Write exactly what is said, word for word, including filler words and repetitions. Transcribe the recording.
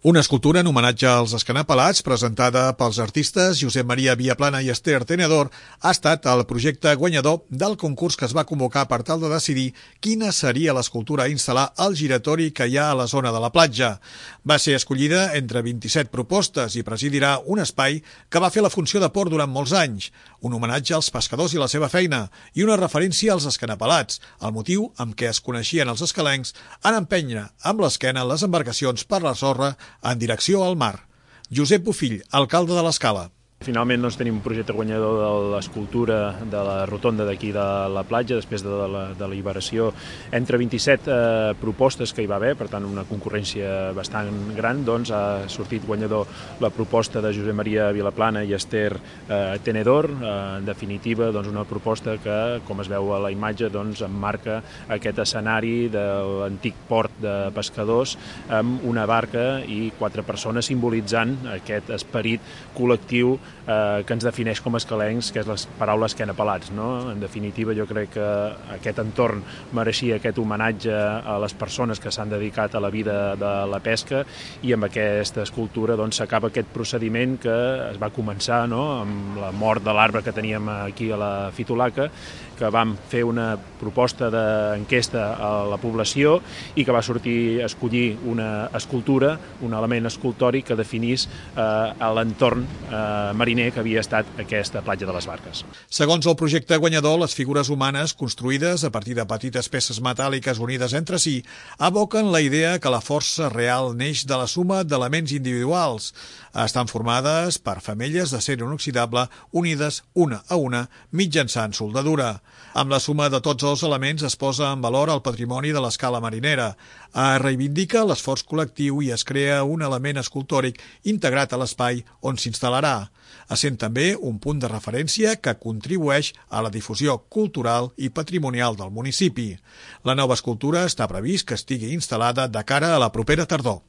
Una escultura en homenatge als escanapalats, presentada pels artistes Josep Maria Viaplana i Esther Tenedor, ha estat el projecte guanyador del concurs que es va convocar per tal de decidir quina seria l'escultura a instal·lar al giratori que hi ha a la zona de la platja. Va ser escollida entre vint-i-set propostes i presidirà un espai que va fer la funció de port durant molts anys, un homenatge als pescadors i la seva feina i una referència als escanapalats, el motiu amb què es coneixien els escalencs en empènyer amb l'esquena les embarcacions per la sorra en direcció al mar. Josep Bofill, alcalde de l'Escala. Finalment doncs, tenim un projecte guanyador de l'escultura de la rotonda d'aquí de la platja, després de la deliberació entre vint-i-set eh, propostes que hi va haver, per tant una concurrència bastant gran, doncs ha sortit guanyador la proposta de Josep Maria Viaplana i Esther eh, Tenedor, eh, en definitiva doncs, una proposta que, com es veu a la imatge, doncs, emmarca aquest escenari de l'antic port de pescadors amb una barca i quatre persones simbolitzant aquest esperit col·lectiu Eh, que ens defineix com a escalencs, que és les paraules escanapalats, no? En definitiva, jo crec que aquest entorn mereixia aquest homenatge a les persones que s'han dedicat a la vida de la pesca i amb aquesta escultura doncs, s'acaba aquest procediment que es va començar, no? Amb la mort de l'arbre que teníem aquí a la Fitolaca, que vam fer una proposta d'enquesta a la població i que va sortir a escollir una escultura, un element escultòric que definís eh, l'entorn eh, mariner que havia estat aquesta platja de les Barques. Segons el projecte guanyador, les figures humanes construïdes a partir de petites peces metàl·liques unides entre si evoquen la idea que la força real neix de la suma d'elements individuals. Estan formades per femelles d'acer inoxidable unides una a una mitjançant soldadura. Amb la suma de tots els elements es posa en valor el patrimoni de l'escala marinera. Es reivindica l'esforç col·lectiu i es crea un element escultòric integrat a l'espai on s'instal·larà, essent també un punt de referència que contribueix a la difusió cultural i patrimonial del municipi. La nova escultura està previst que estigui instal·lada de cara a la propera tardor.